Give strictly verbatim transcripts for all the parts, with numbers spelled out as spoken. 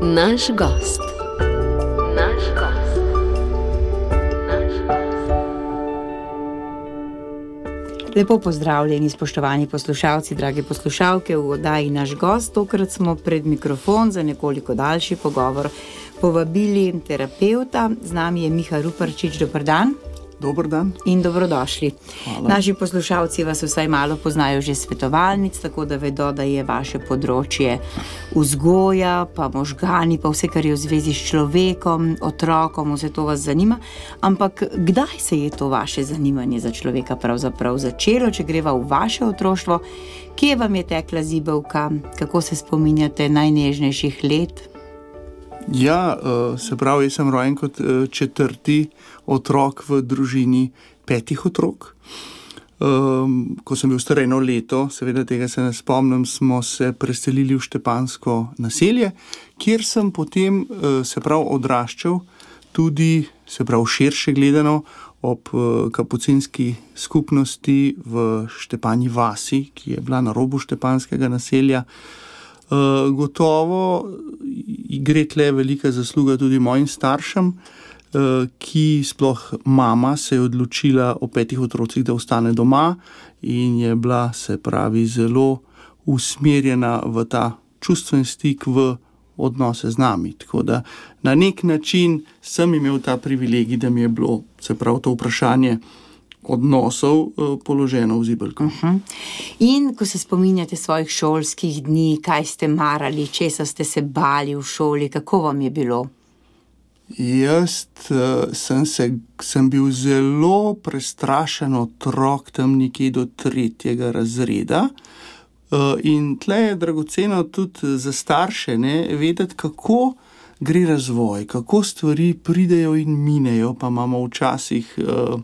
Naš gost. Naš gost. Naš gost. Lepo pozdravljeni, spoštovani poslušalci, drage poslušalke, v oddaji Naš gost. Tokrat smo pred mikrofon za nekoliko daljši pogovor povabili terapevta. Z nami je Miha Ruparčič. Dober dan. Dober dan. In dobrodošli. Hvala. Naši poslušalci vas vsaj malo poznajo že svetovalnic, tako da vedo, da je vaše področje vzgoja, pa možgani, pa vse, kar je v zvezi s človekom, otrokom, vse to vas zanima. Ampak kdaj se je to vaše zanimanje za človeka pravzaprav začelo, če greva v vaše otroštvo? Kje vam je tekla zibelka? Kako se spominjate najnežnejših let? Ja, se pravi, jaz sem rojen kot četrti otrok v družini petih otrok. Ko sem bil star eno leto, seveda tega se ne spomnim, smo se preselili v Štepanjsko naselje, kjer sem potem, se pravi, odraščal tudi, se pravi, širše gledano, ob kapucinski skupnosti v Štepanji vasi, ki je bila na robu štepanjskega naselja. Uh, gotovo gre tle velika zasluga tudi mojim staršem, uh, ki sploh mama se je odločila o petih otrocih, da ostane doma in je bila, se pravi, zelo usmerjena v ta čustven stik, v odnose z nami. Tako da na nek način sem imel ta privilegij, da mi je bilo, se pravi, to vprašanje odnosov položeno v zibelko. Uh-huh. In ko se spominjate svojih šolskih dni, kaj ste marali, česa ste se bali v šoli, kako vam je bilo? Jaz uh, sem, se, sem bil zelo prestrašen otrok tam nekje do tretjega razreda. Uh, in tle je dragoceno tudi za starše, ne, vedeti, kako gre razvoj, kako stvari pridejo in minejo, pa imamo včasih uh,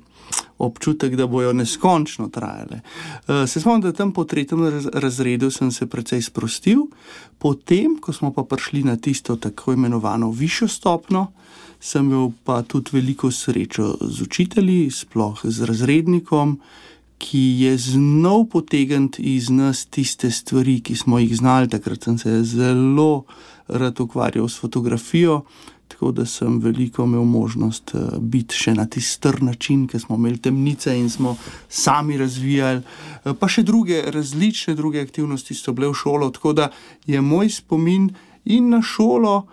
občutek, da bojo neskončno trajale. Se spomnim, da tam po tretjem razredu sem se precej sprostil, potem, ko smo pa prišli na tisto tako imenovano višjo stopno, sem imel pa tudi veliko srečo z učitelji, sploh z razrednikom, ki je znal potegniti iz nas tiste stvari, ki smo jih znali. Takrat sem se zelo rad ukvarjal s fotografijo, tako da sem veliko imel možnost biti še na tisti str način, ker smo imeli temnice in smo sami razvijali, pa še druge, različne druge aktivnosti so bile v šolo, tako da je moj spomin in na šolo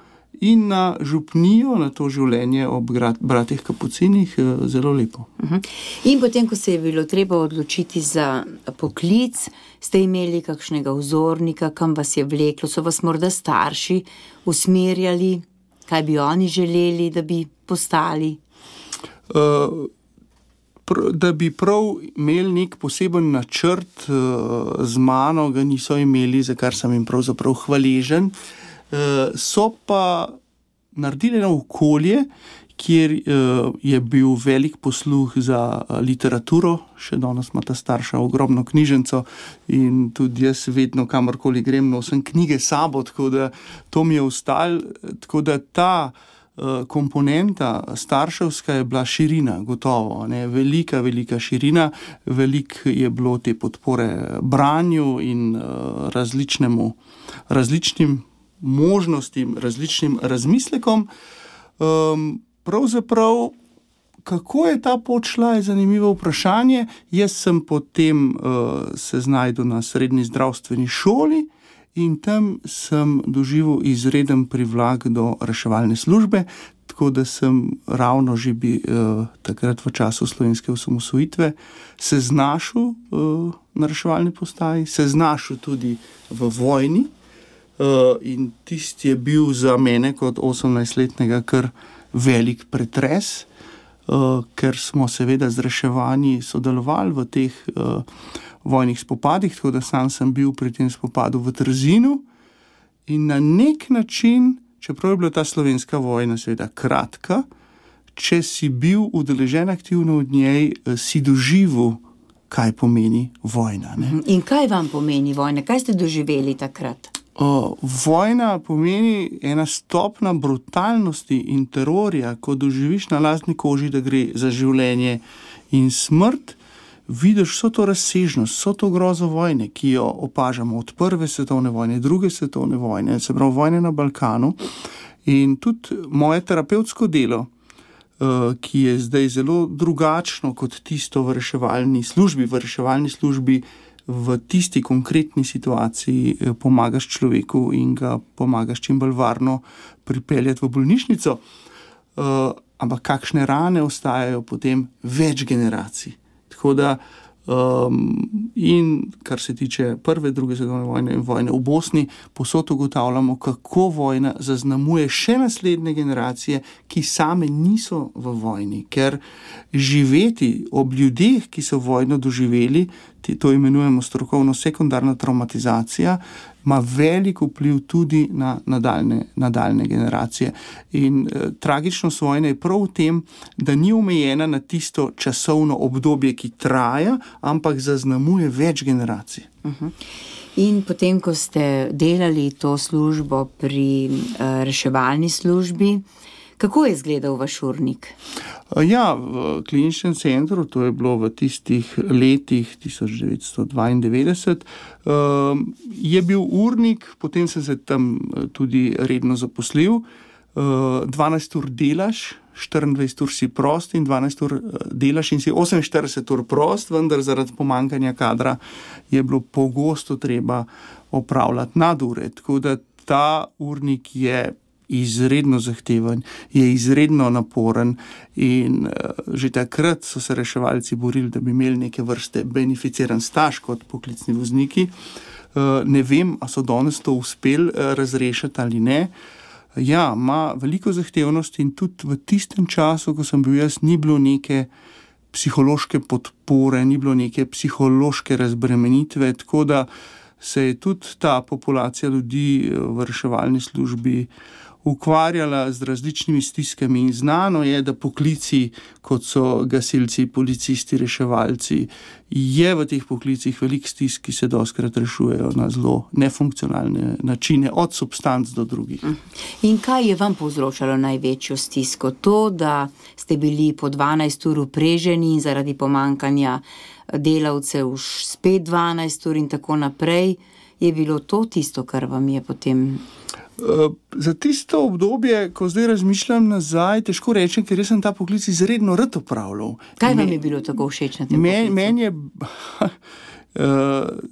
in na župnijo, na to življenje ob bratih Kapucinih zelo lepo. Uh-huh. In potem, ko se je bilo treba odločiti za poklic, ste imeli kakšnega vzornika, kam vas je vleklo, so vas morda starši usmerjali, kaj bi oni želeli, da bi postali? Uh, pr- da bi prav imeli nek poseben načrt uh, z mano, ga niso imeli, za kar sem jim pravzaprav hvaležen. Uh, so pa naredili eno okolje, kjer uh, je bil velik posluh za uh, literaturo, še danes ima ta starša ogromno knjižnico in tudi jaz vedno, kamorkoli grem, nosim knjige sabo, tako da to mi je ostalo, tako da ta uh, komponenta starševska je bila širina, gotovo, ne, velika, velika širina, veliko je bilo te podpore branju in uh, različnemu, različnim možnostim, različnim razmislekom. Um, Pravzaprav, kako je ta pot šla, je zanimivo vprašanje. Jaz sem potem uh, se znašel na srednji zdravstveni šoli in tam sem doživel izreden privlak do reševalne službe, tako da sem ravno že bi uh, takrat v času slovenske osamosvojitve se znašel uh, na reševalni postaji, se znašel tudi v vojni uh, in tisti je bil za mene kot osemnajstletnega kar velik pretres, uh, ker smo seveda z reševanji sodelovali v teh uh, vojnih spopadih, tako da sam sem bil pri tem spopadu v Trzinu in na nek način, čeprav je bila ta slovenska vojna seveda kratka, če si bil udeležen aktivno v njej, si doživel, kaj pomeni vojna. Ne? In kaj vam pomeni vojna? Kaj ste doživeli takrat? Uh, vojna pomeni ena stopna brutalnosti in terorja, ko doživiš na lastni koži, da gre za življenje in smrt, vidiš vso to razsežnost, vso to grozo vojne, ki jo opažamo od prve svetovne vojne, druge svetovne vojne, se pravi vojne na Balkanu. In tudi moje terapevtsko delo, ki je zdaj zelo drugačno kot tisto v reševalni službi, v reševalni službi v tisti konkretni situaciji pomagaš človeku in ga pomagaš čim bolj varno pripeljati v bolnišnico. Ampak kakšne rane ostajajo potem več generacij. Tako da, um, in kar se tiče prve, druge svetovne vojne in vojne v Bosni, posod ugotavljamo, kako vojna zaznamuje še naslednje generacije, ki same niso v vojni, ker živeti ob ljudeh, ki so vojno doživeli, to imenujemo strokovno sekundarna traumatizacija, ima velik vpliv tudi na nadaljne, nadaljne generacije. In eh, tragičnost vojne je prav v tem, da ni omejena na tisto časovno obdobje, ki traja, ampak zaznamuje več generacij. Uh-huh. In potem, ko ste delali to službo pri uh, reševalni službi, kako je izgledal vaš urnik? Ja, v kliničnem centru, to je bilo v tistih letih tisoč devetsto dvaindevetdeset, je bil urnik, potem sem se tam tudi redno zaposlil, dvanajst ur delaš, štiriindvajset ur si prost in dvanajst ur delaš in si oseminštirideset ur prost, vendar zaradi pomanjkanja kadra je bilo pogosto treba opravljati nadure, tako da ta urnik je izredno zahteven, je izredno naporen in uh, že takrat so se reševalci borili, da bi imeli neke vrste beneficiran staž kot poklicni vozniki. Uh, ne vem, a so danes to uspeli uh, razrešiti ali ne. Ja, ima veliko zahtevnosti in tudi v tistem času, ko sem bil jaz, ni bilo neke psihološke podpore, ni bilo neke psihološke razbremenitve, tako da se je tudi ta populacija ljudi v reševalni službi ukvarjala z različnimi stiskami in znano je, da poklici, kot so gasilci, policisti, reševalci, je v teh poklicih velik stisk, ki se dostikrat rešujejo na zelo nefunkcionalne načine, od substanc do drugih. In kaj je vam povzročalo največjo stisko? To, da ste bili po dvanajst ur upreženi in zaradi pomankanja delavcev spet dvanajst ur in tako naprej, je bilo to tisto, kar vam je potem... Za tisto obdobje, ko zdaj razmišljam nazaj, težko rečem, ker jaz sem ta poklic izredno rad opravljal. Kaj vam je bilo tako všeč na tem poklicu? Meni je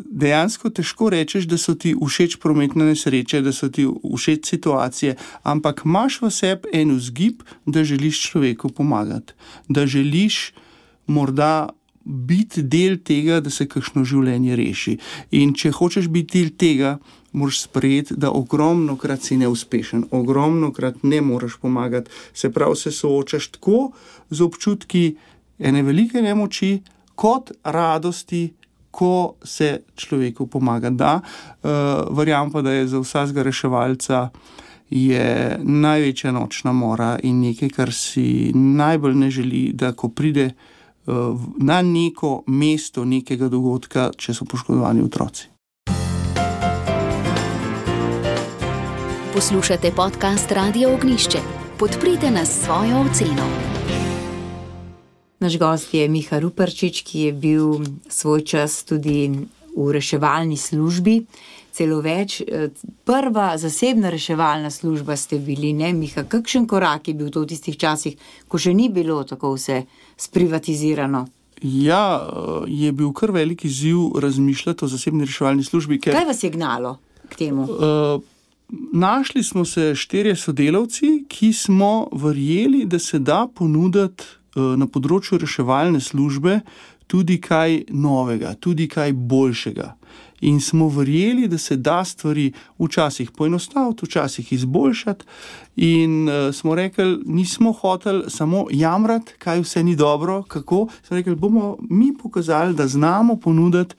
dejansko težko rečeš, da so ti všeč prometne nesreče, da so ti všeč situacije, ampak imaš v sebi en vzgib, da želiš človeku pomagati, da želiš morda biti del tega, da se kakšno življenje reši. In če hočeš biti del tega, moraš sprejeti, da ogromno krat si neuspešen, ogromno krat ne moraš pomagati. Se pravi, se soočaš tako z občutki ene velike nemoči, kot radosti, ko se človeku pomaga. Da, uh, verjamem pa, da je za vsakega reševalca je največja nočna mora in nekaj, kar si najbolj ne želi, da ko pride na neko mesto nekega dogodka, če so poškodovani otroci. Poslušate podcast Radio Ognjišče. Podprite nas s svojo oceno. Naš gost je Miha Ruparčič, ki je bil svoj čas tudi v reševalni službi. Celo več, prva zasebna reševalna služba ste bili, ne, Miha? Kakšen korak je bil to v tistih časih, ko še ni bilo tako vse sprivatizirano? Ja, je bil kar velik izziv razmišljati o zasebni reševalni službi. Ker, kaj vas je gnalo k temu? Uh, našli smo se štirje sodelavci, ki smo verjeli, da se da ponuditi uh, na področju reševalne službe tudi kaj novega, tudi kaj boljšega. In smo verjeli, da se da stvari včasih poenostaviti, včasih izboljšati in uh, smo rekli, nismo hoteli samo jamrati, kaj vse ni dobro, kako, smo rekli, bomo mi pokazali, da znamo ponuditi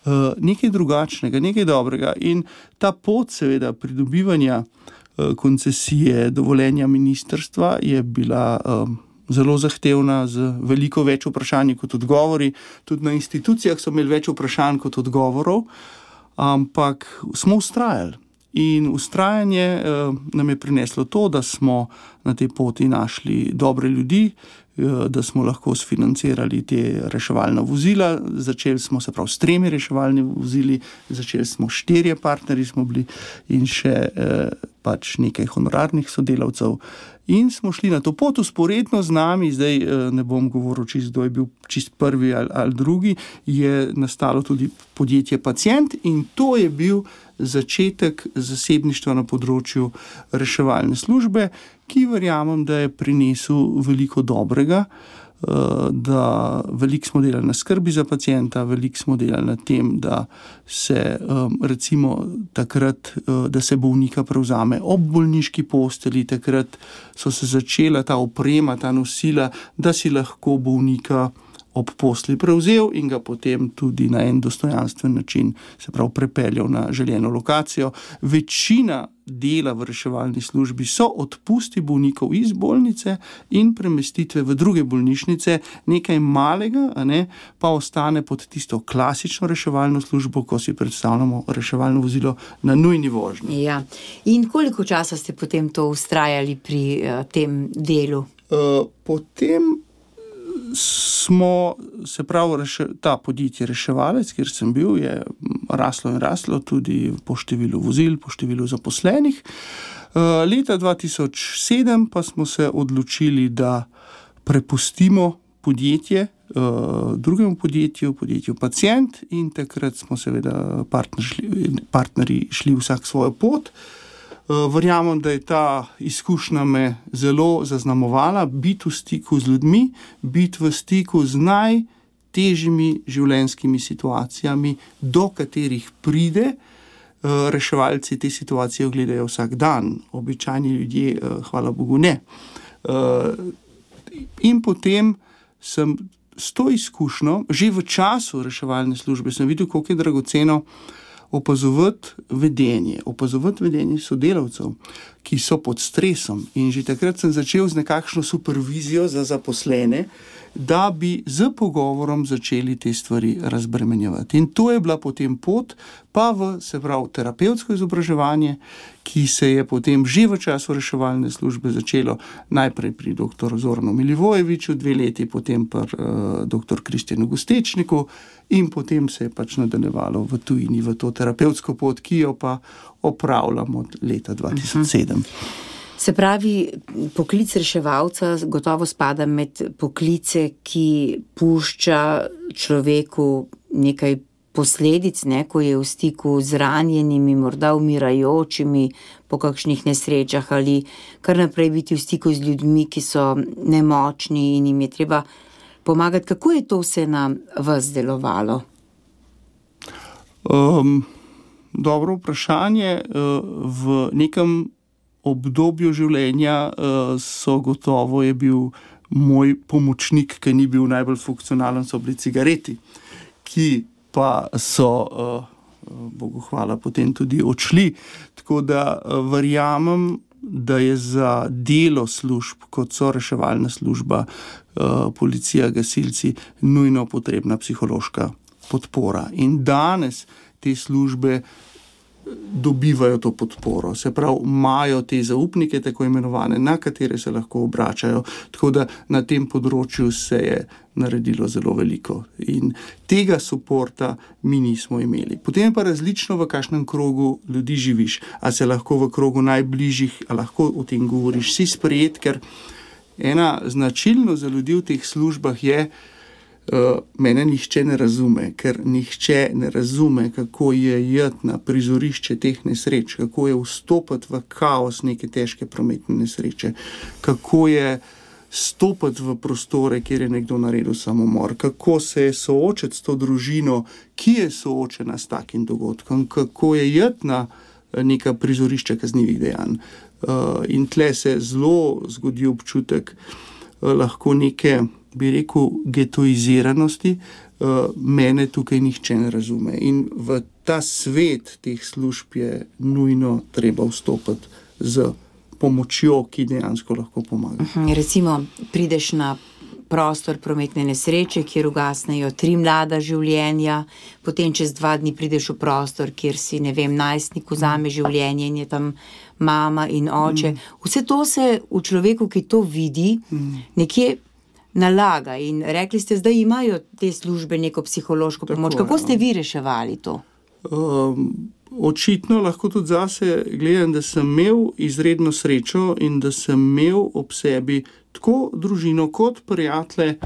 uh, nekaj drugačnega, nekaj dobrega in ta pot seveda pridobivanja uh, koncesije, dovoljenja ministrstva je bila uh, zelo zahtevna, z veliko več vprašanj kot odgovori. Tudi na institucijah so imeli več vprašanj kot odgovorov, ampak smo vztrajali. In vztrajanje eh, nam je prineslo to, da smo na tej poti našli dobre ljudi, da smo lahko sfinancirali te reševalna vozila. Začeli smo se prav s tremi reševalnimi vozili, začeli smo štirje partnerji smo bili in še eh, pač nekaj honorarnih sodelavcev. In smo šli na to pot usporedno z nami, zdaj ne bom govoril čist, kdo je bil čist prvi ali, ali drugi, je nastalo tudi podjetje Pacient in to je bil začetek zasebništva na področju reševalne službe, ki verjamem, da je prinesel veliko dobrega, da veliko smo delali na skrbi za pacienta, veliko smo delali na tem, da se recimo takrat, da se bolnika prevzame ob bolniški posteli, takrat so se začela ta oprema, ta nosila, da si lahko bolnika ob posli prevzel in ga potem tudi na en dostojanstven način se prav prepeljal na željeno lokacijo. Večina dela v reševalni službi so odpusti bolnikov iz bolnice in premestitve v druge bolnišnice, nekaj malega, a ne, pa ostane pod tisto klasično reševalno službo, ko si predstavljamo reševalno vozilo na nujni vožnji. Ja. In koliko časa ste potem to vztrajali pri uh, tem delu? Uh, potem smo, se pravi, reše, ta podjetje Reševalec, kjer sem bil, je raslo in raslo tudi po številu vozil, po številu zaposlenih. Uh, leta dva tisoč sedem pa smo se odločili, da prepustimo podjetje uh, drugemu podjetju, podjetju Pacient in takrat smo seveda partner šli, partnerji šli vsak svojo pot. Verjamem, da je ta izkušnja me zelo zaznamovala, biti v stiku z ljudmi, biti v stiku z najtežjimi življenjskimi situacijami, do katerih pride. Reševalci te situacije gledajo vsak dan, običajni ljudje, hvala Bogu, ne. In potem sem s to izkušnjo, že v času reševalne službe, sem videl, koliko je dragoceno opazovati vedenje, opazovati vedenje sodelavcev, ki so pod stresom. In že takrat sem začel z nekakšno supervizijo za zaposlene, da bi z pogovorom začeli te stvari razbremenjevati. In to je bila potem pot, pa v, se pravi, terapevtsko izobraževanje, ki se je potem že v času reševalne službe začelo najprej pri doktor Zoranu Milivojeviču, dve leti, potem pri uh, doktor Kristjanu Gostečniku in potem se je pač nadaljevalo v tujini, v to terapevtsko pot, ki jo pa opravljamo od leta dva tisoč sedem. Se pravi, poklic reševalca gotovo spada med poklice, ki pušča človeku nekaj posledic, ne, ko je v stiku z ranjenimi, morda umirajočimi po kakšnih nesrečah ali kar naprej biti v stiku z ljudmi, ki so nemočni in jim je treba pomagati. Kako je to vse na vas delovalo? Um, dobro vprašanje. V nekem obdobju življenja so gotovo je bil moj pomočnik, ki ni bil najbolj funkcionalen, so bili cigareti, ki pa so, Bogu hvala, potem tudi odšli. Tako da verjamem, da je za delo služb, kot so reševalna služba, policija, gasilci, nujno potrebna psihološka podpora. In danes te službe dobivajo to podporo, se pravi, imajo te zaupnike, tako imenovane, na katere se lahko obračajo, tako da na tem področju se je naredilo zelo veliko in tega suporta mi nismo imeli. Potem pa različno, v kakšnem krogu ljudi živiš, a se lahko v krogu najbližjih, a lahko o tem govoriš, si sprejet, ker ena značilnost za ljudi v teh službah je, Uh, mene nihče ne razume, ker nihče ne razume, kako je iti na prizorišče teh nesreč, kako je vstopiti v kaos neke težke prometne nesreče, kako je stopiti v prostore, kjer je nekdo naredil samomor, kako se je soočiti s to družino, ki je soočena s takim dogodkom, kako je iti na neka prizorišča kaznivih dejanj. Uh, in tle se zelo zgodi občutek uh, lahko neke, bi rekel, getoiziranosti, mene tukaj nihče ne razume. In v ta svet teh služb je nujno treba vstopiti z pomočjo, ki dejansko lahko pomaga. Recimo, prideš na prostor prometne nesreče, kjer ugasnejo tri mlada življenja, potem čez dva dni prideš v prostor, kjer si, ne vem, najstnik vzame življenje in je tam mama in oče. Vse to se v človeku, ki to vidi, nekje nalaga. In rekli ste, zdaj imajo te službe neko psihološko pomoč. Tako, Kako ste ja. vi reševali to? Um, očitno lahko tudi zase gledam, da sem imel izredno srečo in da sem imel ob sebi tako družino kot prijatelje,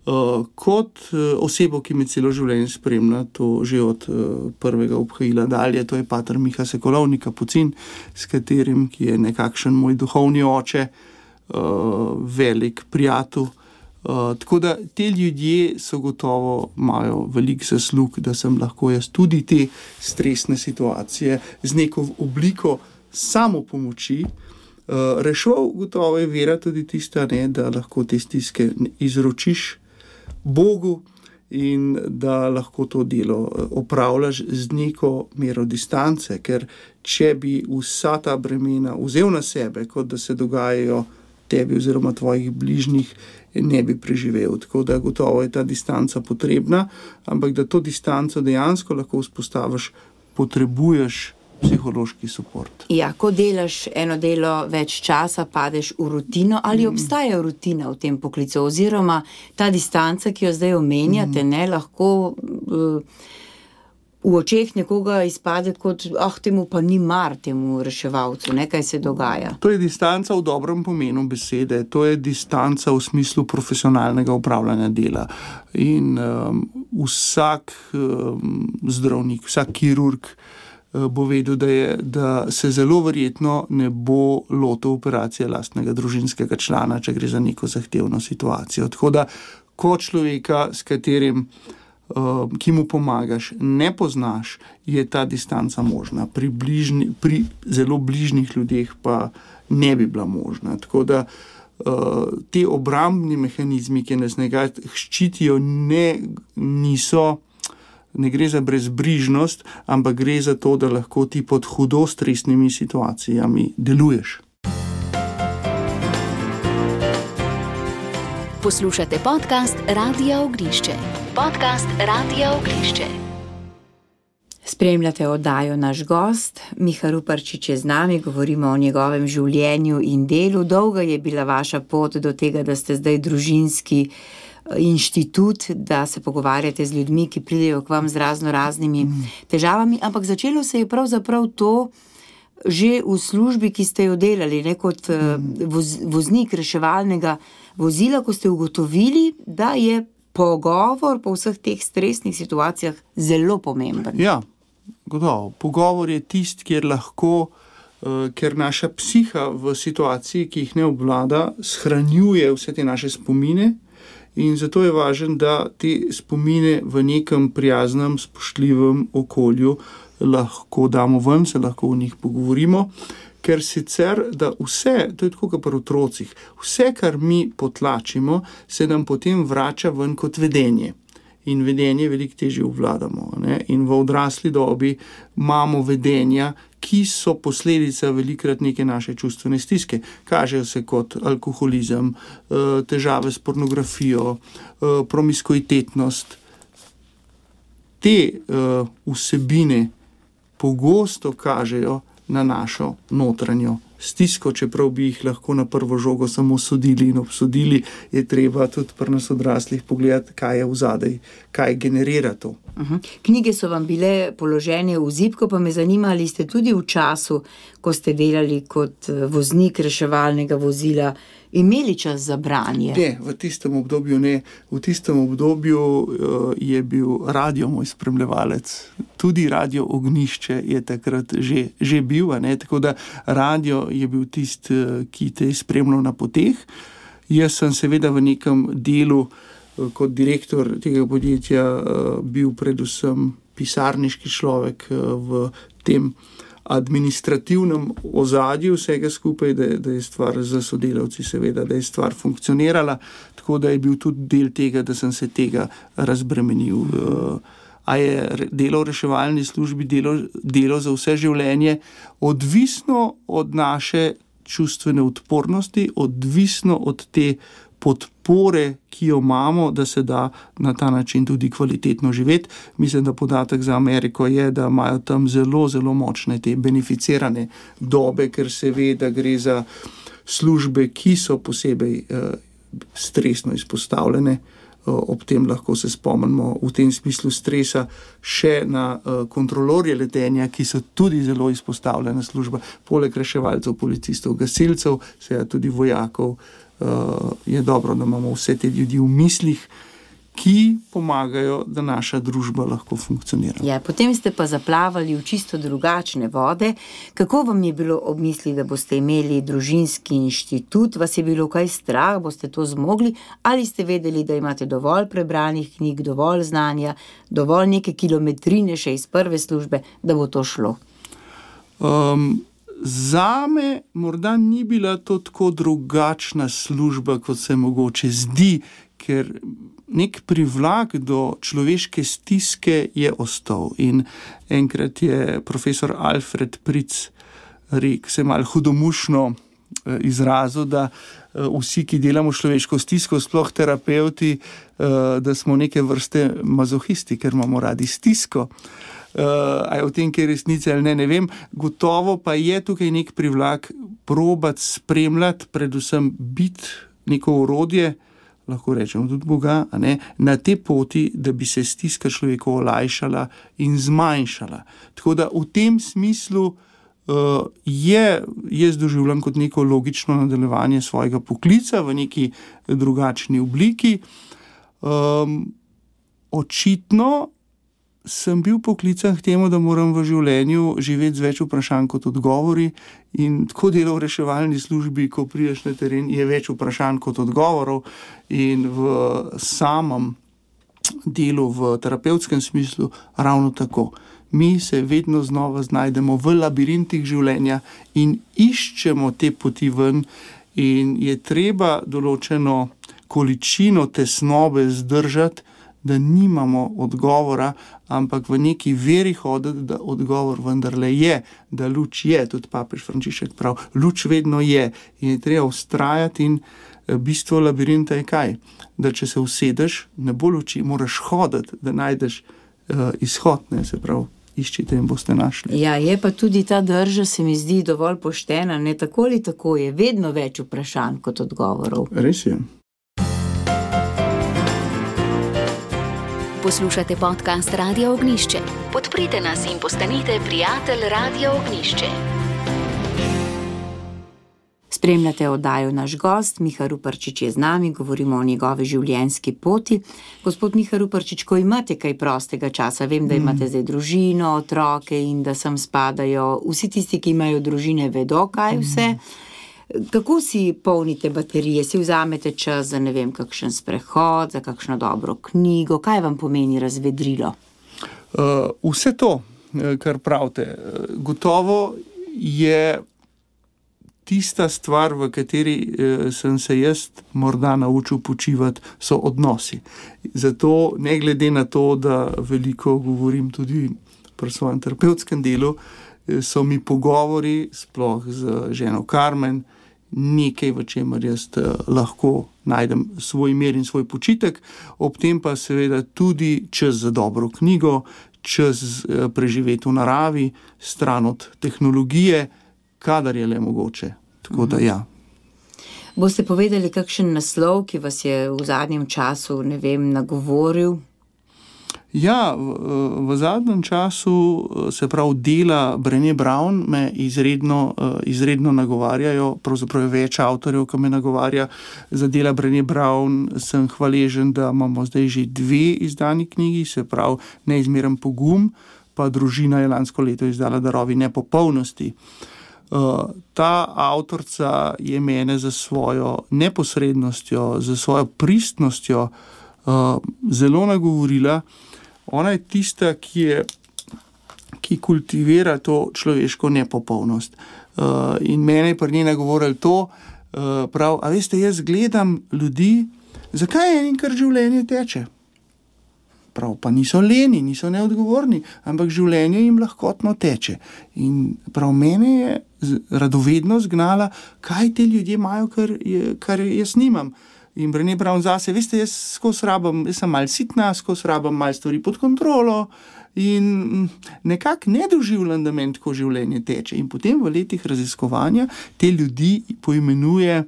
uh, kot uh, osebo, ki me celo življenje spremlja, to že od uh, prvega obhajila dalje, to je pater Miha Sekulovnik Kapucin, s katerim, ki je nekakšen moj duhovni oče, uh, velik prijatelj. Uh, tako da te ljudje so gotovo imajo veliko zaslug, da sem lahko jaz tudi te stresne situacije z neko obliko samopomoči uh, reševal. Gotovo je vera tudi tista, ne, da lahko te stiske izročiš Bogu in da lahko to delo opravljaš z neko mero distance, ker če bi vsa ta bremena vzel na sebe, kot da se dogajajo tebi oziroma tvojih bližnjih, ne bi preživel. Tako da gotovo je ta distanca potrebna, ampak da to distanco dejansko lahko vzpostaviš, potrebuješ psihološki suport. Ja, ko delaš eno delo več časa, padeš v rutino, ali mm. obstaja rutina v tem poklicu, oziroma ta distanca, ki jo zdaj omenjate, mm. ne, lahko uh, v očeh nekoga izpade kot, ah, temu pa ni mar, temu reševalcu, ne, kaj se dogaja. To je distanca v dobrem pomenu besede, to je distanca v smislu profesionalnega upravljanja dela. In um, vsak um, zdravnik, vsak kirurg uh, bo vedel, da, je, da se zelo verjetno ne bo lotil operacije lastnega družinskega člana, če gre za neko zahtevno situacijo. Tako da, ko človeka, s katerim Uh, ki mu pomagaš, ne poznaš, je ta distanca možna. Pri, bližni, pri zelo bližnjih ljudeh pa ne bi bila možna. Tako da uh, te obrambni mehanizmi, ki nas nekaj ščitijo, ne, niso, ne gre za brezbrižnost, ampak gre za to, da lahko ti pod hudo stresnimi situacijami deluješ. Poslušate podcast Radia Ognišče. Podcast Radia Ognišče. Spremljate oddajo Naš gost. Miha Ruparčič je z nami, govorimo o njegovem življenju in delu. Dolga je bila vaša pot do tega, da ste zdaj družinski inštitut, da se pogovarjate z ljudmi, ki pridejo k vam z razno raznimi mm. težavami, ampak začelo se je pravzaprav to že v službi, ki ste jo delali, ne, kot mm. voz, voznik reševalnega vozila, ko ste ugotovili, da je pogovor po vseh teh stresnih situacijah zelo pomemben. Ja, gotovo. Pogovor je tist, kjer lahko, uh, ker naša psiha v situaciji, ki jih ne obvlada, shranjuje vse te naše spomine in zato je važno, da te spomine v nekem prijaznem, spoštljivem okolju lahko damo ven, se lahko o njih pogovorimo, ker sicer, da vse, to je tako kot pri otrocih, vse, kar mi potlačimo, se nam potem vrača ven kot vedenje. In vedenje veliko težje obvladamo. Ne? In v odrasli dobi imamo vedenja, ki so posledica velikrat neke naše čustvene stiske. Kažejo se kot alkoholizem, težave s pornografijo, promiskuitetnost. Te vsebine pogosto kažejo na našo notranjo stisko, čeprav bi jih lahko na prvo žogo samo sodili in obsodili, je treba tudi pri nas odraslih pogledati, kaj je vzadej, kaj generira to. Uh-huh. Knjige so vam bile položene v zibko, pa me zanima, ali ste tudi v času, ko ste delali kot voznik reševalnega vozila, imeli čas za branje? Ne, v tistem obdobju ne. V tistem obdobju uh, je bil radio moj spremljevalec. Tudi Radio Ognišče je takrat že, že bil, ne? Tako da radio je bil tist, uh, ki te je spremljal na poteh. Jaz sem seveda v nekem delu uh, kot direktor tega podjetja uh, bil predvsem pisarniški človek uh, v tem administrativnem ozadju vsega skupaj, da, da je stvar za sodelavci seveda, da je stvar funkcionirala, tako da je bil tudi del tega, da sem se tega razbremenil. A je delo v reševalni službi delo, delo za vse življenje, odvisno od naše čustvene odpornosti, odvisno od te podpore, ki jo imamo, da se da na ta način tudi kvalitetno živeti. Mislim, da podatek za Ameriko je, da imajo tam zelo, zelo močne te beneficirane dobe, ker se ve, da gre za službe, ki so posebej uh, stresno izpostavljene. Ob tem lahko se spomnimo v tem smislu stresa še na uh, kontrolorje letenja, ki so tudi zelo izpostavljena služba, poleg reševalcev, policistov, gasilcev, seveda tudi vojakov. Uh, je dobro, da imamo vse te ljudi v mislih, ki pomagajo, da naša družba lahko funkcionira. Ja, potem ste pa zaplavali v čisto drugačne vode. Kako vam je bilo ob misli, da boste imeli družinski inštitut? Vas je bilo kaj strah? Boste to zmogli? Ali ste vedeli, da imate dovolj prebranih knjig, dovolj znanja, dovolj neke kilometrine še iz prve službe, da bo to šlo? Um, zame morda ni bila to tako drugačna služba, kot se mogoče zdi, ker nek privlak do človeške stiske je ostal. In enkrat je profesor Alfred Pritz rekel, se malo hudomušno izrazil, da vsi, ki delamo človeško stisko, sploh terapeuti, da smo neke vrste mazohisti, ker imamo radi stisko. A je v tem, kaj resnice ali ne, ne vem. Gotovo pa je tukaj nek privlak probati spremljati, predvsem biti neko orodje, lahko rečemo tudi Boga, a ne, na te poti, da bi se stiska človeku olajšala in zmanjšala. Tako da v tem smislu uh, je, jaz doživljam kot neko logično nadaljevanje svojega poklica v neki drugačni obliki. Um, očitno sem bil poklican k temu, da moram v življenju živeti z več vprašanj kot odgovori, in tako delo v reševalni službi, ko prideš na teren, je več vprašanj kot odgovorov, in v samem delu v terapevtskem smislu ravno tako. Mi se vedno znova znajdemo v labirintih življenja in iščemo te poti ven, in je treba določeno količino tesnobe zdržati, da nimamo odgovora, ampak v neki veri hoditi, da odgovor vendarle je, da luč je, tudi papež Frančišek prav, luč vedno je in je treba vztrajati. In bistvo labirinta je kaj? Da če se usedeš, ne bo luči, moraš hoditi, da najdeš uh, izhod, ne, se pravi, iščite in boste našli. Ja, je pa tudi ta drža, se mi zdi, dovolj poštena, ne, tako ali tako je vedno več vprašanj kot odgovorov. Res je. Poslušate podcast Radia Ognjišče. Podprite nas in postanite prijatelj Radia Ognjišče. Spremljate oddajo Naš gost, Miha Ruparčič je z nami, govorimo o njegovi življenjski poti. Gospod Miha Ruparčič, ko imate kaj prostega časa, vem, da imate zdaj družino, otroke in da sem spadajo, vsi tisti, ki imajo družine, vedo, kaj vse. Kako si polnite baterije? Si vzamete čas za, ne vem, kakšen sprehod, za kakšno dobro knjigo? Kaj vam pomeni razvedrilo? Uh, vse to, kar pravite. Gotovo je tista stvar, v kateri eh, sem se jaz morda naučil počivati, so odnosi. Zato, ne glede na to, da veliko govorim tudi pri svojem terapevtskem delu, eh, so mi pogovori, sploh z ženo Karmen, nekaj, v čemer jaz eh, lahko najdem svoj mir in svoj počitek, ob tem pa seveda tudi čas za dobro knjigo, čas eh, preživeti v naravi, stran od tehnologije, kadar je le mogoče. Tako da ja. Boste povedali kakšen naslov, ki vas je v zadnjem času, ne vem, nagovoril? Ja, v, v zadnjem času, se pravi, dela Brené Brown me izredno, izredno nagovarjajo, pravzaprav je več avtorjev, ki me nagovarja. Za dela Brené Brown sem hvaležen, da imamo zdaj že dve izdani knjigi, se pravi Neizmeren pogum, pa Družina je lansko leto izdala Darovi nepopolnosti. Uh, ta avtorica je mene za svojo neposrednostjo, za svojo pristnostjo uh, zelo nagovorila. Ona je tista, ki, je, ki kultivira to človeško nepopolnost. Uh, in mene je pri njej nagovoril to, uh, prav, a veste, jaz gledam ljudi, zakaj je enkrat življenje teče? Prav, pa niso leni, niso neodgovorni, ampak življenje jim lahkotno teče. In prav mene je radovednost gnala, kaj te ljudje imajo, kar, je, kar jaz nimam. In Brené Brown zase, veste, jaz skozi rabam, jaz sem malo sitna, skozi rabam malo stvari pod kontrolo in nekako ne doživljam, da meni tako življenje teče. In potem v letih raziskovanja te ljudi poimenuje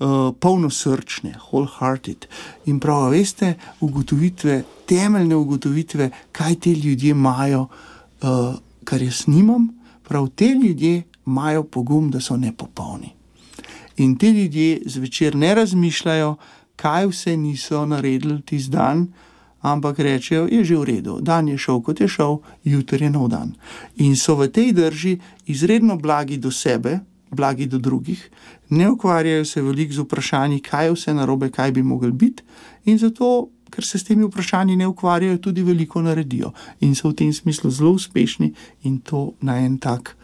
uh, polnosrčne, wholehearted. In prav, veste, ugotovitve, temeljne ugotovitve, kaj te ljudje imajo, uh, kar jaz nimam, prav te ljudje imajo pogum, da so nepopolni. In te ljudje zvečer ne razmišljajo, kaj vse niso naredili tisti dan, ampak rečejo, je že v redu, dan je šel, kot je šel, jutri je nov dan. In so v tej drži izredno blagi do sebe, blagi do drugih, ne ukvarjajo se veliko z vprašanji, kaj je vse narobe, kaj bi mogli biti, in zato, ker se s temi vprašanji ne ukvarjajo, tudi veliko naredijo. In so v tem smislu zelo uspešni in to na en tak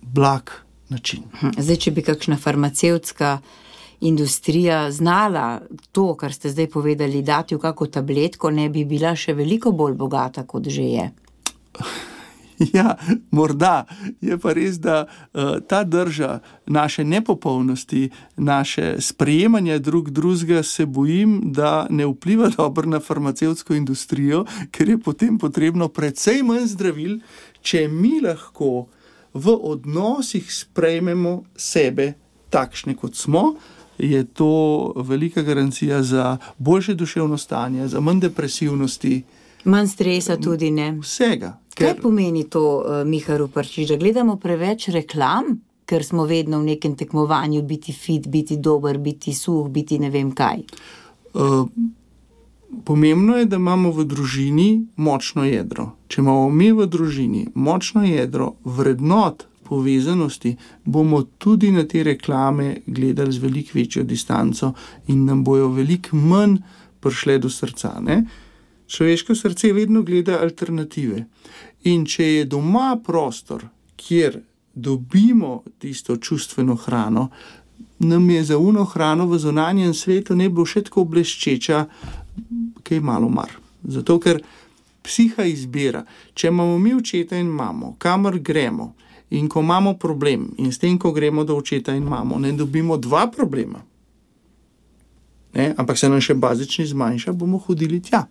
blag način. Zdaj, če bi kakšna farmacevtska industrija znala to, kar ste zdaj povedali, dati v kako tabletko, ne bi bila še veliko bolj bogata, kot že je. Ja, morda. Je pa res, da uh, ta drža naše nepopolnosti, naše sprejemanje drug drugega, se bojim, da ne vpliva dobro na farmacevtsko industrijo, ker je potem potrebno precej manj zdravil, če mi lahko v odnosih sprejmemo sebe takšne, kot smo, je to velika garancija za boljše duševno stanje, za manj depresivnosti. Manj stresa tudi, ne? Vsega. Ker... Kaj pomeni to, Miha Ruparčič, da gledamo preveč reklam, ker smo vedno v nekem tekmovanju biti fit, biti dober, biti suh, biti ne vem kaj? Uh, pomembno je, da imamo v družini močno jedro. Če imamo mi v družini močno jedro vrednot, povezanosti, bomo tudi na te reklame gledali z veliko večjo distanco in nam bojo veliko manj prišle do srca. Ne? Človeško srce vedno gleda alternative. In če je doma prostor, kjer dobimo tisto čustveno hrano, nam je za uno hrano v zunanjem svetu ne bo še tako bleščeča, kaj malo mar. Zato, ker psiha izbira. Če imamo mi očeta in mamo, kamor gremo, in ko imamo problem, in s tem, ko gremo do očeta in mamo, ne dobimo dva problema, ne? Ampak se nam še bazični zmanjša, bomo hodili tja.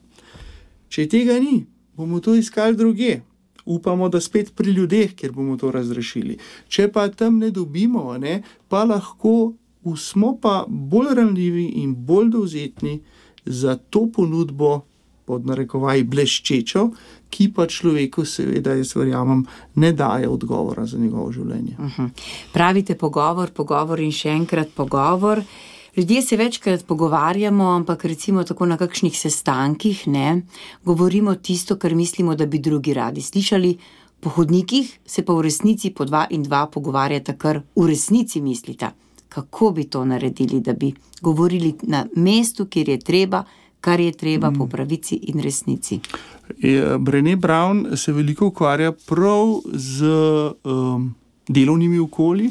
Če tega ni, bomo to iskali drugje. Upamo, da spet pri ljudeh, kjer bomo to razrešili. Če pa tam ne dobimo, ne, pa lahko smo pa bolj ranljivi in bolj dovzetni za to ponudbo, pod narekovaji bleščečo, ki pa človeku seveda, jaz verjamem, ne daje odgovora za njegovo življenje. Uh-huh. Pravite pogovor, pogovor in še enkrat pogovor. Ljudje se večkrat pogovarjamo, ampak recimo tako na kakšnih sestankih, ne, govorimo tisto, kar mislimo, da bi drugi radi slišali. Po hodnikih se pa v resnici po dva in dva pogovarjata, kar v resnici mislita. Kako bi to naredili, da bi govorili na mestu, kjer je treba, kar je treba po pravici in resnici? Brené Brown se veliko ukvarja prav z um, delovnimi okolji,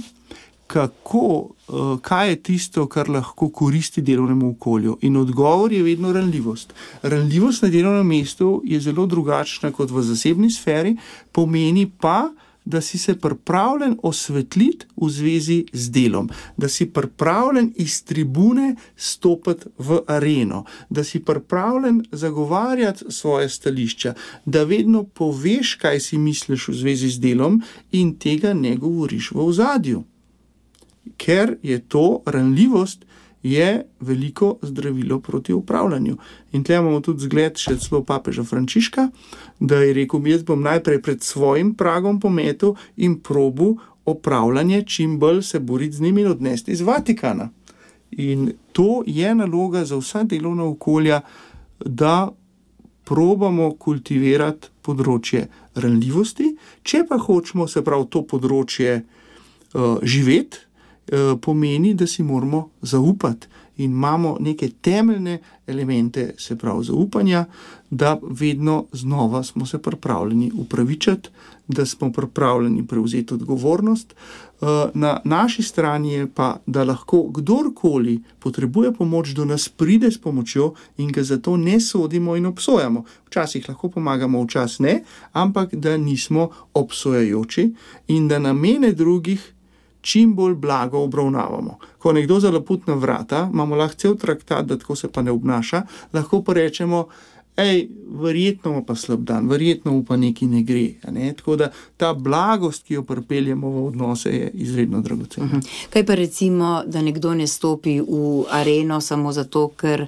kako, uh, kaj je tisto, kar lahko koristi delovnemu okolju. In odgovor je vedno ranljivost. Ranljivost na delovnem mestu je zelo drugačna kot v zasebni sferi, pomeni pa, da si se pripravljen osvetliti v zvezi z delom, da si pripravljen iz tribune stopiti v areno, da si pripravljen zagovarjati svoje stališča, da vedno poveš, kaj si misliš v zvezi z delom in tega ne govoriš v ozadju. Ker je to ranljivost, je veliko zdravilo proti upravljanju. In tle imamo tudi zgled še celo papeža Frančiška, da je rekel, jaz bom najprej pred svojim pragom pometel in probu upravljanje čim bolj se boriti z njimi in odnesti iz Vatikana. In to je naloga za vsa delovna okolja, da probamo kultivirati področje ranljivosti, če pa hočemo se prav to področje uh, živeti, pomeni, da si moramo zaupati in imamo neke temeljne elemente, se pravi zaupanja, da vedno znova smo se pripravljeni upravičati, da smo pripravljeni prevzeti odgovornost. Na naši strani je pa, da lahko kdorkoli potrebuje pomoč, do nas pride s pomočjo in ga zato ne sodimo in obsojamo. Včasih lahko pomagamo, včasih ne, ampak da nismo obsojajoči in da namene drugih čim bolj blago obravnavamo. Ko nekdo zalaput na vrata, imamo lahko cel traktat, da tako se pa ne obnaša, lahko pa rečemo, ej, verjetno ima pa slab dan, verjetno mu pa nekaj ne gre. Ne? Tako da ta blagost, ki jo pripeljemo v odnose, je izredno dragocena. Uh-huh. Kaj pa recimo, da nekdo ne stopi v areno samo zato, ker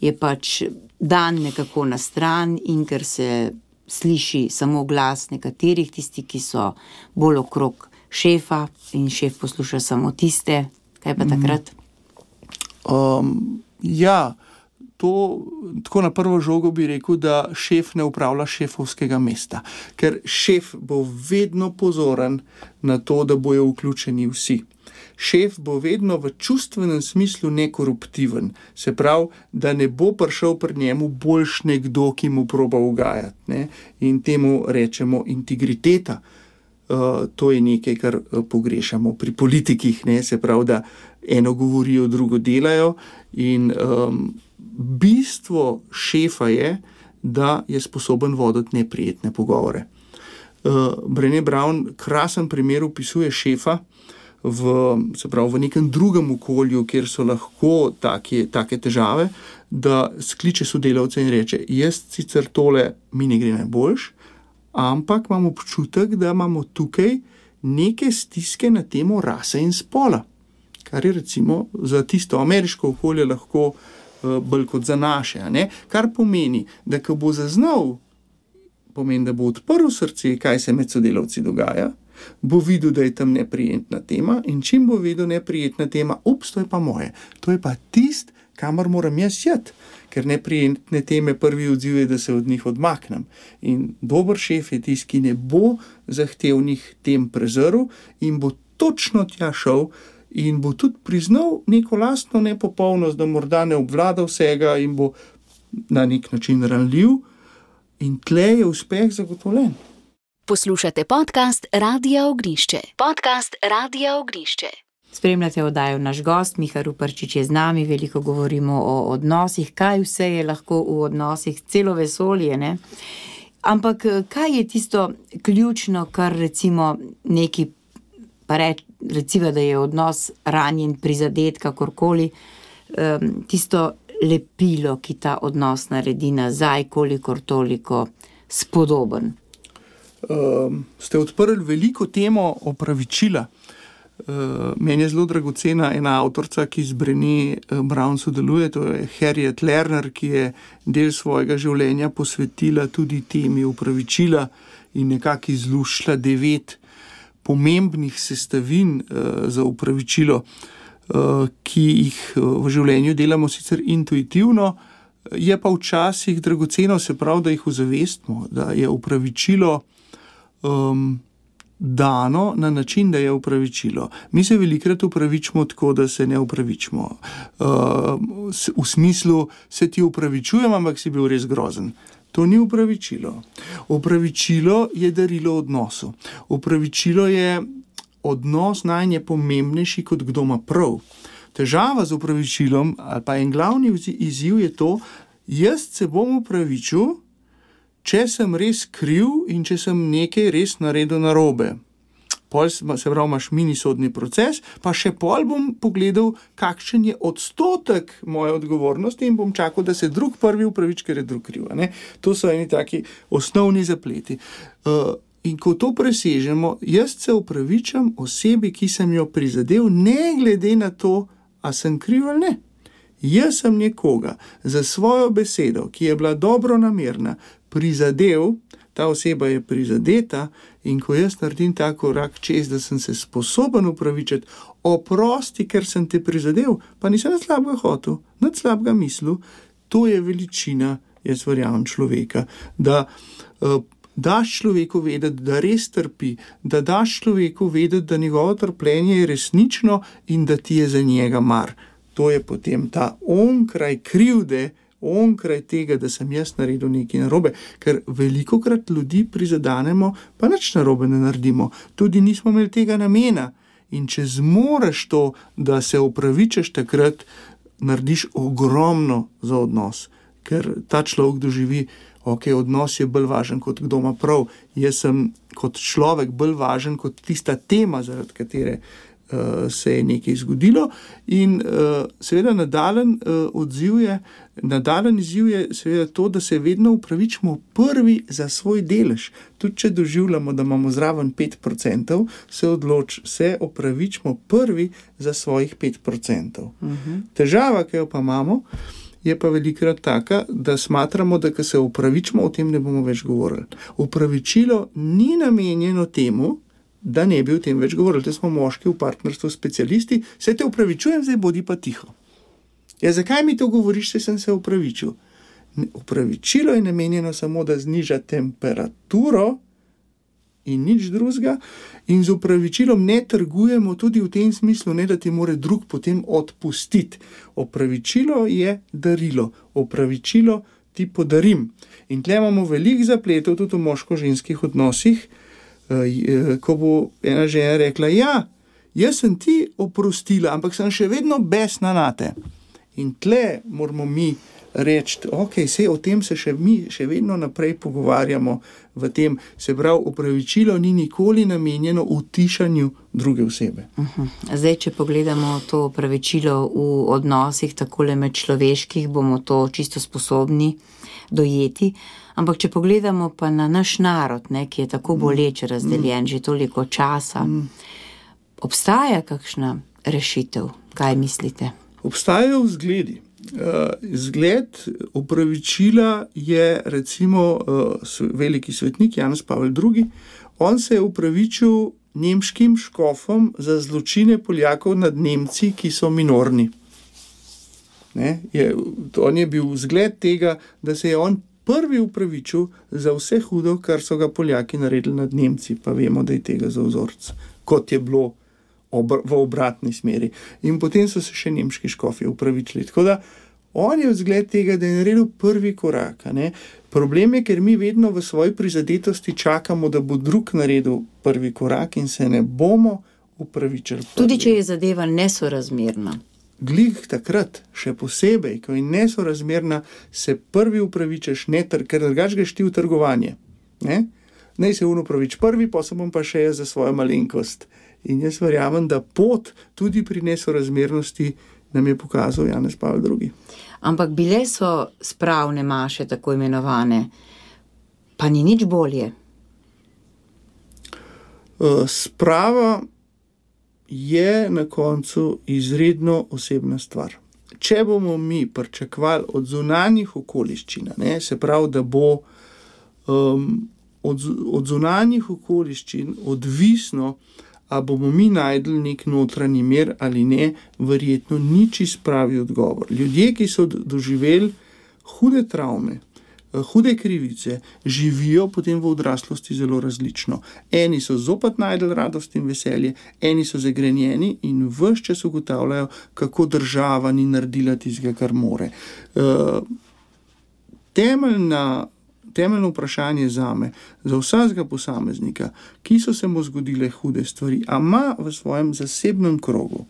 je pač dan nekako na stran in ker se sliši samo glas nekaterih, tisti, ki so bolj okrog šefa in šef posluša samo tiste. Kaj pa takrat? Um, ja, To, tako na prvo žogo bi rekel, da šef ne upravlja šefovskega mesta, ker šef bo vedno pozoren na to, da bojo vključeni vsi. Šef bo vedno v čustvenem smislu nekoruptiven, se pravi, da ne bo prišel pri njemu boljš nekdo, ki mu proba ugajati, ne? In temu rečemo integriteta. Uh, to je nekaj, kar pogrešamo pri politikih, ne? Se pravi, da eno govorijo, drugo delajo in um, bistvo šefa je, da je sposoben voditi neprijetne pogovore. Uh, Brené Brown krasen primer opisuje šefa v, se pravi, v nekem drugem okolju, kjer so lahko take, take težave, da skliče sodelavce in reče, jaz sicer tole mi ne gre najboljš, ampak imam občutek, da imamo tukaj neke stiske na temo rase in spola, kar je recimo za tisto ameriško okolje lahko bolj kot za naše, ne? Kar pomeni, da ko bo zaznal, pomeni, da bo odprl srce, kaj se med sodelavci dogaja, bo videl, da je tam neprijetna tema in čim bo videl neprijetna tema, ups, to je pa moje, to je pa tist, kamor moram jaz jeti, ker neprijetne teme prvi odziv je, da se od njih odmaknem. In dober šef je tist, ki ne bo zahtevnih tem prezrl in bo točno tja šel in bo tudi priznal neko lastno nepopolnost, da morda ne obvlada vsega in bo na nek način ranljiv in tle je uspeh zagotovljen. Poslušate podcast Radia Ognišče. Podcast Radia Ognišče. Spremljate oddajo Naš gost, Miha Ruparčič je z nami, veliko govorimo o odnosih, kaj vse je lahko v odnosih, celo vesolje, ne? Ampak kaj je tisto ključno, kar recimo neki pa reč, recimo, da je odnos ranjen, prizadet, kakorkoli, um, tisto lepilo, ki ta odnos naredi nazaj, kolikor toliko spodoben. Um, ste odprli veliko temo opravičila. Uh, meni je zelo dragocena ena avtorica, ki z Brené Brown sodeluje, to je Harriet Lerner, ki je del svojega življenja posvetila tudi temi opravičila in nekako izluščila devet pomembnih sestavin uh, za opravičilo, uh, ki jih uh, v življenju delamo sicer intuitivno, je pa včasih dragoceno, se pravi, da jih ozavestimo, da je opravičilo um, dano na način, da je opravičilo. Mi se velikrat opravičimo tako, da se ne opravičimo. Uh, v smislu, se ti opravičujem, ampak si bil res grozen. To ni opravičilo. Opravičilo je darilo odnosu. Opravičilo je odnos najne pomembnejši, kot kdo ima prav. Težava z opravičilom, ali pa en glavni izziv je to, jaz se bom opravičil, če sem res kriv in če sem nekaj res naredil narobe. Pol se pravi, imaš minisodni proces, pa še pol bom pogledal, kakšen je odstotek moje odgovornosti in bom čakal, da se drug prvi upravič, ker je drug kriv. Ne? To so eni taki osnovni zapleti. Uh, in ko to presežemo, jaz se upravičam osebi, ki sem jo prizadel, ne glede na to, a sem kriv ali ne. Jaz sem nekoga za svojo besedo, ki je bila dobro namerna, prizadel, ta oseba je prizadeta in ko jaz naredim ta korak čez, da sem se sposoben upravičiti, oprosti, ker sem te prizadel, pa nisem nad slabega hotel, nad slabega mislil, to je veličina, jaz verjamem, človeka, da uh, daš človeku vedeti, da res trpi, da daš človeku vedeti, da njegovo trpljenje je resnično in da ti je za njega mar. To je potem ta onkraj krivde, onkraj tega, da sem jaz naredil nekaj narobe, ker velikokrat ljudi prizadanemo, pa nič narobe ne naredimo. Tudi nismo imeli tega namena. In če zmoreš to, da se opravičeš takrat, narediš ogromno za odnos. Ker ta človek doživi, ok, odnos je bolj važen, kot kdo ima prav. Jaz sem kot človek bolj važen, kot tista tema, zaradi katere uh, se je nekaj zgodilo in uh, seveda nadaljen uh, odziv je, nadaljen izziv je seveda to, da se vedno upravičimo prvi za svoj delež. Tudi če doživljamo, da imamo zraven pet procentov, se odloč, se opravičimo prvi za svojih pet procentov. Uh-huh. Težava, ki jo pa imamo, je pa velikrat taka, da smatramo, da ko se opravičimo, o tem ne bomo več govorili. Opravičilo ni namenjeno temu, da ne bi o tem več govorili. Te smo moški v partnerstvu specialisti, se te opravičujem, zdaj bodi pa tiho. Ja, zakaj mi to govoriš, če sem se opravičil? Opravičilo je namenjeno samo, da zniža temperaturo in nič drugega, in z opravičilom ne trgujemo tudi v tem smislu, ne da ti more drug potem odpustiti. Opravičilo je darilo, opravičilo ti podarim. In tle imamo veliko zapletov tudi v moško-ženskih odnosih, ko bo ena žena rekla, ja, jaz sem ti oprostila, ampak sem še vedno besna nate. In tle moramo mi reči, ok, sej o tem se še mi še vedno naprej pogovarjamo v tem, se pravi, opravičilo ni nikoli namenjeno utišanju druge osebe. Uh-huh. Zdaj, če pogledamo to opravičilo v odnosih takole med človeških, bomo to čisto sposobni dojeti, ampak če pogledamo pa na naš narod, ne, ki je tako boleče razdeljen mm. že toliko časa, mm. obstaja kakšna rešitev? Kaj mislite? Obstajajo vzgledi. Uh, zgled opravičila je recimo uh, veliki svetnik Janez Pavel drugi. On se je opravičil nemškim škofom za zločine Poljakov nad Nemci, ki so minorni. Ne? Je, on je bil zgled tega, da se je on prvi opravičil za vse hudo, kar so ga Poljaki naredili nad Nemci, pa vemo, da je tega za vzorc, kot je bilo obr- v obratni smeri. In potem so se še nemški škofi opravičili. Tako da on je vzgled tega, da je naredil prvi korak. Ne? Problem je, ker mi vedno v svoji prizadetosti čakamo, da bo drug naredil prvi korak in se ne bomo opravičili. Tudi če je zadeva nesorazmerna. Glih takrat, še posebej, ko je nesorazmerna, se prvi upravičeš, ne, ker drugač greš ti v trgovanje. Ne? Naj se on upravič prvi, pa se bom pa še jaz za svojo malenkost. In jaz verjamem, da pot tudi pri nesorazmernosti nam je pokazal Janez Pavel drugi. Ampak bile so spravne maše, tako imenovane, pa ni nič bolje. Uh, sprava je na koncu izredno osebna stvar. Če bomo mi pričakovali od zunanjih okoliščin, ne, se pravi, da bo um, od, od zunanjih okoliščin odvisno, a bomo mi najdli nek notranji mir ali ne, verjetno ni čisto pravi odgovor. Ljudje, ki so doživeli hude travme, hude krivice, živijo potem v odraslosti zelo različno. Eni so zopet najdli radost in veselje, eni so zagrenjeni in ves čas ugotavljajo, kako država ni naredila tistega, kar more. Uh, temeljna Temeljno vprašanje zame, za vsakega posameznika, ki so se mu zgodile hude stvari, a ima v svojem zasebnem krogu,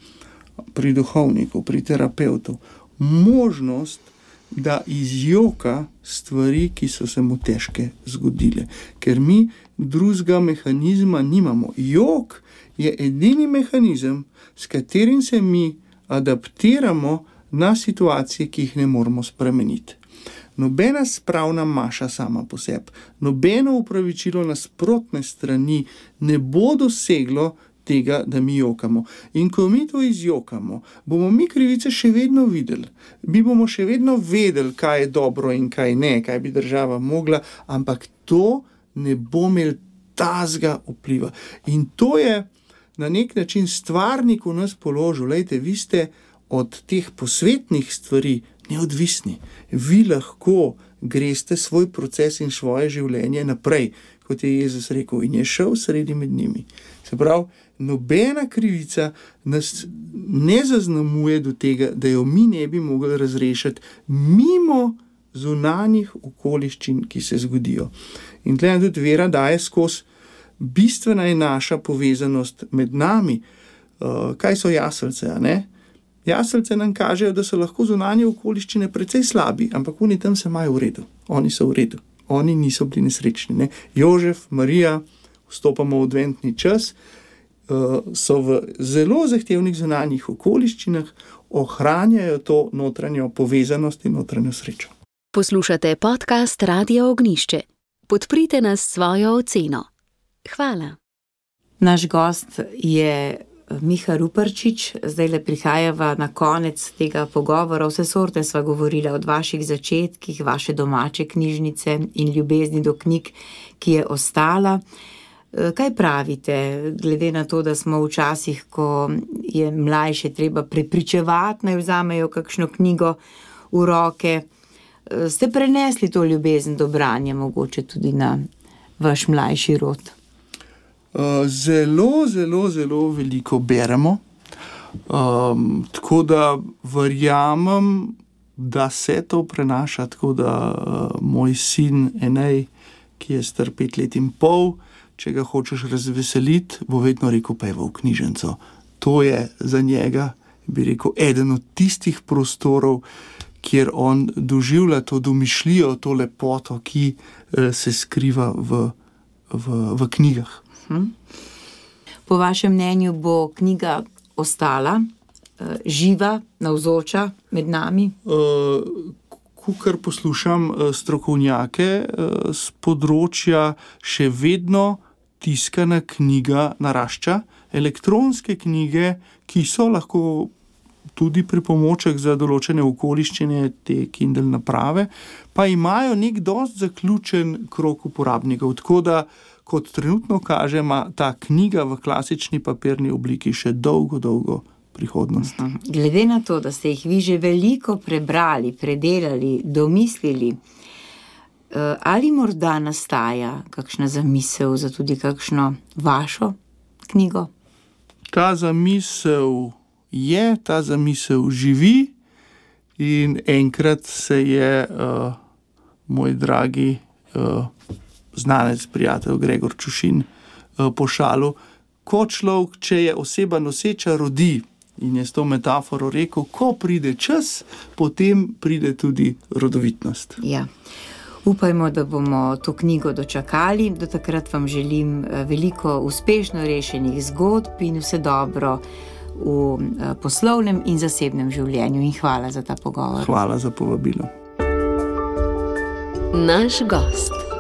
pri duhovniku, pri terapevtu, možnost, da izjoka stvari, ki so se mu težke zgodile. Ker mi drugega mehanizma nimamo. Jok je edini mehanizem, s katerim se mi adaptiramo na situacije, ki jih ne moremo spremeniti. Nobena spravna maša sama po sebi, nobeno upravičilo nasprotne strani ne bo doseglo tega, da mi jokamo. In ko mi to izjokamo, bomo mi krivice še vedno videli. Mi bomo še vedno vedeli, kaj je dobro in kaj ne, kaj bi država mogla, ampak to ne bo imel tazga vpliva. In to je na nek način stvarnik v nas položil. Lejte, vi ste od teh posvetnih stvari neodvisni. Vi lahko greste svoj proces in svoje življenje naprej, kot je Jezus rekel, in je šel sredi med njimi. Se pravi, nobena krivica nas ne zaznamuje do tega, da jo mi ne bi mogli razrešiti mimo zunanjih okoliščin, ki se zgodijo. In tle tudi vera daje skozi, bistvena je naša povezanost med nami. Uh, kaj so jaselce, a ne? Jaselce nam kažejo, da so lahko zunanje okoliščine precej slabi, ampak oni tam se imajo v redu. Oni so v redu. Oni niso bili nesrečni. Ne? Jožef, Marija, vstopamo v adventni čas, so v zelo zahtevnih zunanjih okoliščinah, ohranjajo to notranjo povezanost in notranjo srečo. Poslušate podcast Radio Ognišče. Podprite nas s svojo oceno. Hvala. Naš gost je Miha Ruparčič. Zdaj le prihajava na konec tega pogovora. Vse sorte sva govorila od vaših začetkih, vaše domače knjižnice in ljubezni do knjig, ki je ostala. Kaj pravite, glede na to, da smo v časih, ko je mlajše treba prepričevati, naj vzamejo kakšno knjigo v roke? Ste prenesli to ljubezen do branja mogoče tudi na vaš mlajši rod? Zelo, zelo, zelo veliko beremo. Um, tako da verjamem, da se to prenaša, tako da uh, moj sin Enej, ki je star pet let in pol, če ga hočeš razveseliti, bo vedno rekel, pa je v knjižnico. To je za njega, bi rekel, eden od tistih prostorov, kjer on doživlja to domišljijo, to lepoto, ki uh, se skriva v, v, v knjigah. Hmm. Po vašem mnenju bo knjiga ostala uh, živa, navzoča med nami? Uh, Kukor poslušam uh, strokovnjake uh, z področja, še vedno tiskana knjiga narašča. Elektronske knjige, ki so lahko tudi pripomoček za določene okoliščine, te Kindle naprave, pa imajo nek dost zaključen krog uporabnikov, tako da kot trenutno kaže, ima ta knjiga v klasični papirni obliki še dolgo, dolgo prihodnost. Glede na to, da ste jih vi že veliko prebrali, predelali, domislili, ali morda nastaja kakšna zamisel za tudi kakšno vašo knjigo? Ta zamisel je, ta zamisel živi in enkrat se je uh, moj dragi uh, znanec, prijatelj Gregor Čušin uh, pošalil, ko človek, če je oseba noseča, rodi, in je s to metaforo rekel, ko pride čas, potem pride tudi rodovitnost. Ja. Upajmo, da bomo to knjigo dočakali. Do takrat vam želim veliko uspešno rešenih zgodb in vse dobro v poslovnem in zasebnem življenju. In hvala za ta pogovor. Hvala za povabilo. Naš gost.